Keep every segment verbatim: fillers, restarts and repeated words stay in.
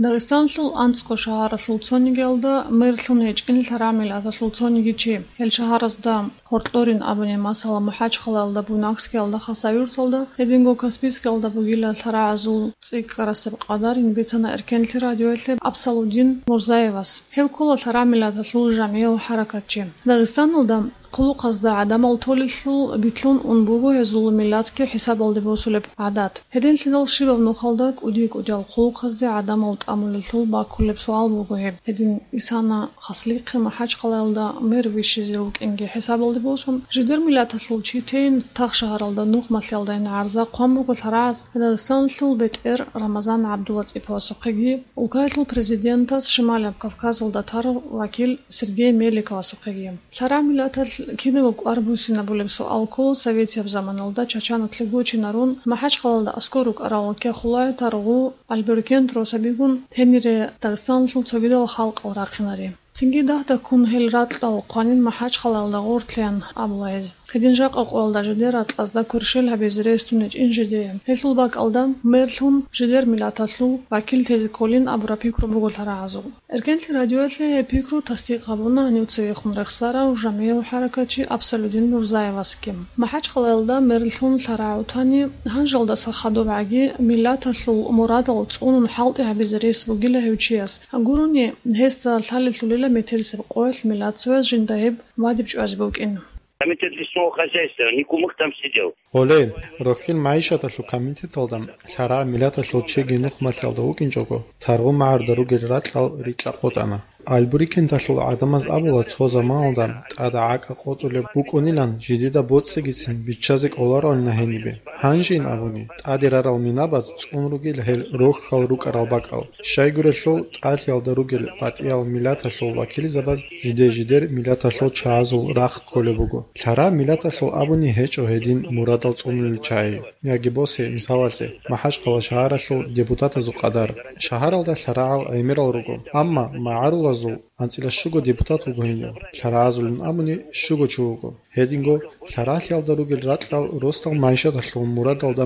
Дагъистанлъул анцӀго шагьаралъул цонигиялда мэрлъун гьечӀин лъарагӀ миллаталъул цониги чи. Гьел шагьаразда гьоркьорин абуни, масала, МахӀачхъалаялда, Буйнакскиялда, Хасавюрталда, гьединго Каспийскиялда бугила лъарагӀазул цӀикӀкӀарасеб къадарин бицана Эркенлъи радиоялъе Абсалудин Мурзаевас. Гьев ккола лъарагӀ миллаталъул жамгӀияв хӀаракатчи. Дагъистаналда хъулухъазда гӀадамал толелъул битлъун ун буго гьезул миллатги хӀисабалде босулеб гӀадат. Гьединлъидал щибаб нухалда кӀуди-кӀудиял хъулухъазде гӀадамал тӀамулелъул баккулеб суал буго гьеб. Гьедин исана хаслихъе МахӀачхъалаялда мэр вищизе вукӀинги хӀисабалде босун, жидер миллаталъул чи тейин тахшагьаралда нухмалъиялдайин гӀарза хъван буго лъарагӀаз Дагъистанлъул бетӀер Рамазан ГӀабдулатӀиповасухъеги, улкаялъул президентас Шималаб Кавказалда тарав вакил Сергей Меликовасухъеги. ЛъарагӀ миллаталъ кинабго кӀвар буссинабулеб суал ккола советияб заманалда Чачаналъе гочинарун, МахӀачхъалаялда аскӀор рукӀарал Кяхулая таргъу Альберкент росабигун гьенире Дагъистаналъул цогидал халкъал рахъинари. Цинги дагьдаккун гьел ракьал хъванин МахӀачхъалаялда гъорлъеян абула гьез. Гьедин жакъа къоялда жидер ракьазда кверщел гьабизе рес тун гьечӀин жидее. Гьелъул бакӀалда, мэрлъун, жидер миллаталъул вакил тезе кколин абураб пикру буго лъарагӀазул. Эркенлъи радиоялъе гьеб пикру тасдикъ гьабуна гьанив цевехун рехсарав жамгӀияв хӀаракатчи Абсалудин Мурзаевасги. МахӀачхъалаялда мэрлъун лъарагӀ вутани, гьанжалдаса хадубгӀаги миллаталъул мурадал цӀунун хӀалтӀи гьабизе рес бугила гьев чияс. Гурони, гьесда лъалелъулила метерисеб къоялъ миллат цояз жинда гьеб вадиб чӀвазе букӀин. Комитет лесного хозяйства, не кумык там сидел. Гьоле, рохьил магӀишаталъул комитеталда лъарагӀ миллаталъул чиги нухмалъиялда вукӀинчӀого, таргъу магӀарда ругел ракьал рикьа къотӀана. Альбурикенталъул гӀадамаз абула цо заманалда тӀада гӀакӀа къотӀулеб букӀунилан жидеда боцӀигицин биччазе кӀолароанина гьенибе. Гьанжейин абуни, тӀаде рарал минабаз цӀун ругел гьел рохьал рукӀарал бакӀал. Щайгурелъул тӀалъиялда ругел батӀиял миллаталъул вакилзабаз жиде-жидер миллаталъул чагӀазул рахъ кколеб буго. ЛъарагӀ миллаталъул абуни гьечӀо гьедин мурадал цӀунулел чагӀи. Яги босе, мисалалъе, МахӀачхъала шагьаралъул депутатазул къадар. Шагьаралда лъарагӀал гӀемерал руго, амма магӀарулазул анцӀила щуго депутат вуго гьенив, лъарагӀазулин абуни щуго чи вуго. Гьединго лъарагӀлъиялда ругел ракьал росдал магӀишаталъул мурадалда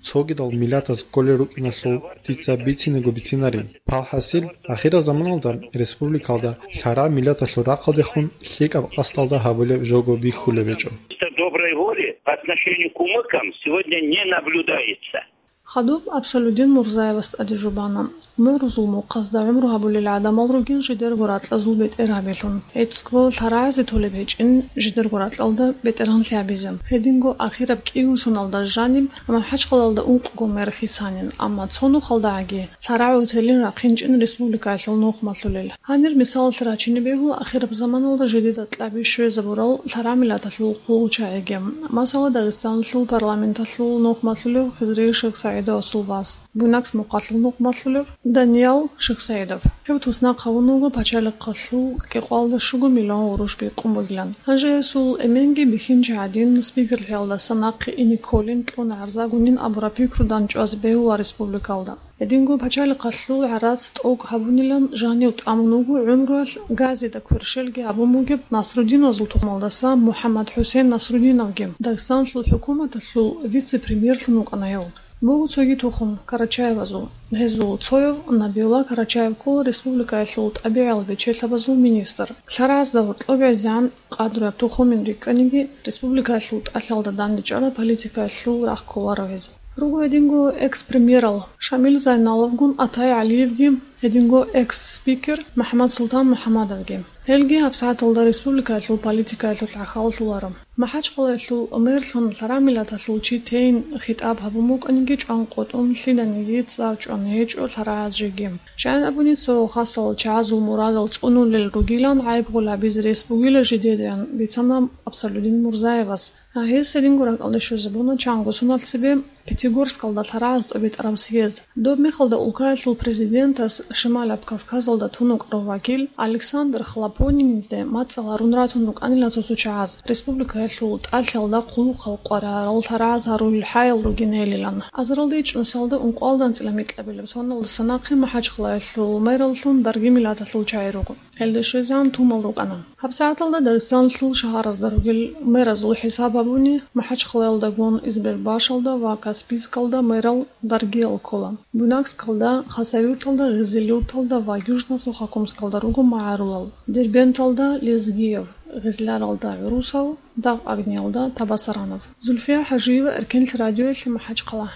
цогидал миллатаз кколел рукӀиналъул дица бицинаго бицинарин. Палхасил, ахирал заманалда республикалда лъарагӀ миллаталъул рахъалдехун лъикӀаб къасдалда гьабулеб жого бихьулеб гьечӀо. Чисто доброй воли по отношению к кумыкам сегодня не наблюдается. Хадуб Абсалудин Мурзаевас тӀаде жубана. Мурузул мухъазда гӀумру гьабулел гӀадамал ругин жидерго ракьазул бетӀергьабилъун. ГӀицӀго лъарагӀазе толеб гьечӀин жидерго ракьалда бетӀергьанлъи гьабизе. Гьединго ахираб кӀиго соналда жаниб МахӀачхъалаялда ункъго мэр хисанин, амма цо нухалдагӀаги лъарагӀ гӀутелин рахъинчӀин республикаялъул нухмалъулел. Гьанир мисалалъе рачине бегьула ахираб заманалда жидеда кьаби щвезабурал лъарагӀ миллаталъул хъулчагӀиги. Масала, Дагъистаналъул парламенталъул нухмалъулев Хизри ШихсагӀидовасул вас, Буйнакск мухъалъул нухмалъулев Даниял ШихсагӀидов. Гьев туснахъ гьавун вуго пачалихъалъул кӀикъоялда щуго миллион гъурущ бикъун бугилан. Гьанже гьесул эменги бихьинчи гӀадин, спикерлъиялдаса нахъе ине кколин кьун гӀарза гунин абураб пикру данчӀвазе бегьула республикалда. Гьединго пачалихъалъул гӀарац тӀокӀ гьабунилан жанив тӀамун вуго гӀумруялъ газида кверщелги гьабун бугеб Насрудиновазул тухумалдаса МухӀаммад-ХӀусен Насрудиновги, Дагъистаналъул хӀукуматалъул вице-премьерлъун вукӀана гьев. Буго цоги тухум Карачаевазул. Гьезул цояв Набиулла Карачаев ккола республикаялъул тӀабигӀиял бечелъабазул министр. ЛъарагӀазда гьоркьоб гӀезегӀан къадру тухумин рикӀкӀаниги, республикаялъул тӀалъиялда дандечӀараб политикаялъул рахъ кколаро гьез. Руго гьединго экс-премьерал Шамил Зайналовгун Атай ГӀалиевги, гьединго экс-спикер МахӀмад-Султан МухӀаммадовги. Гьелги гьабсагӀаталда республикаялъул политикаялъулъ гӀахьаллъуларо. МахӀачхъалаялъул мэрлъун лъарагӀ миллаталъул чи тейин хитӀаб гьабун букӀаниги чӀван къотӀун, лъиданиги цӀар чӀван гьечӀо лъарагӀаз жеги. ЩайӀан абуни, цо хасал чагӀазул мурадал цӀунулел ругилан гӀайиб гьабизе рес бугила жидедаан бицана Абсалудин Мурзаевас. Гьес гьединго ракӀалде щвезабуна чанго соналъ цебе Пятигорскалда лъарагӀаз тӀобитӀараб съезд. Доб мехалда улкаялъул президентас Шималаб Кавказалда тун вукӀарав вакил Александр Хлопониниде мацӀал гьарун ратун рукӀанила цо-цо чагӀаз, республикаялъул тӀалъиялда хъулухъал къваригӀарал лъарагӀаз гьарулел хӀаял ругин гьелилан. Азаралде ичӀнусиялда ункъоялда анцӀила микьабилеб соналдаса нахъе МахӀачхъалаялъул мэраллъун дарги миллаталъул чагӀи руго. Гьелда щвезегӀан тумал рукӀана. ГьабсагӀаталда Дагъистаналъул шагьаразда ругел мэразул хӀисаб гьабуни, МахӀачхъалаялдагун Избербашалда ва Каспийскалда мэрал даргиял ккола. Буйнакскалда, Хасавюрталда гъизил Юрталда ва Южно-Сухокумскалда руго магӀарулал: Дербенталда Лезгиев, Гъизляралда ГӀурусов, Дагъ-Агниялда Табасаранов. Зульфия ХӀажиева, Эркенлъи радиоялъе, МахӀачхъала.